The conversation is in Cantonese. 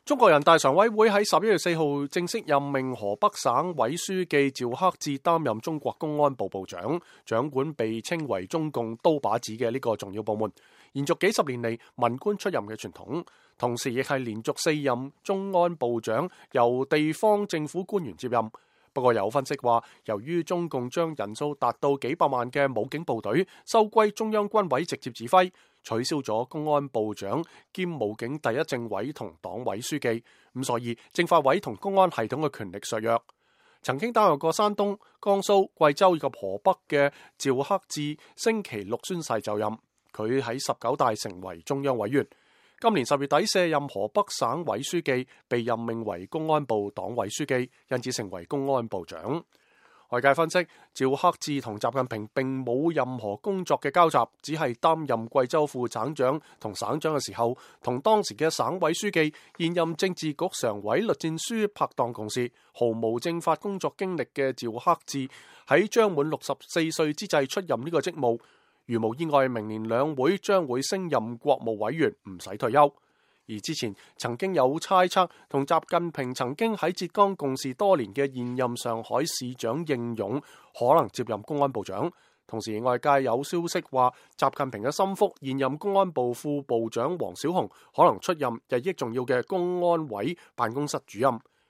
中國人大常委會喺11月4號正式任命河北省委書記趙克志擔任中國公安部部長，掌管被稱為中共刀把子嘅呢個重要部門，延續幾十年嚟文官出任嘅傳統，同時亦係連續4任公安部長由地方政府官員接任。不過有分析話，由於中共將人數達到幾百萬嘅武警部隊收歸中央軍委直接指揮，取消咗公安部長兼武警第一政委同黨委書記，咁所以政法委同公安系統嘅權力削弱。曾經擔任過山東、江蘇、貴州以及河北嘅趙克志星期六宣誓就任，佢喺19大成為中央委員。今年10月底卸任河北省委書記，被任命為公安部黨委書記，因此成為公安部長。外界分析，趙克志同習近平並冇任何工作嘅交集，只係擔任貴州副省長同省長嘅時候，同當時嘅省委書記、現任政治局常委栗戰書拍檔共事，毫無政法工作經歷嘅趙克志喺將滿64歲之際出任呢個職務。如無意外，明年兩會將會升任國務委員，唔使退休。而之前曾經有猜測，同習近平曾經喺浙江共事多年嘅現任上海市長應勇可能接任公安部長。同時外界有消息話，習近平嘅心腹現任公安部副部長王小洪可能出任日益重要嘅公安委辦公室主任。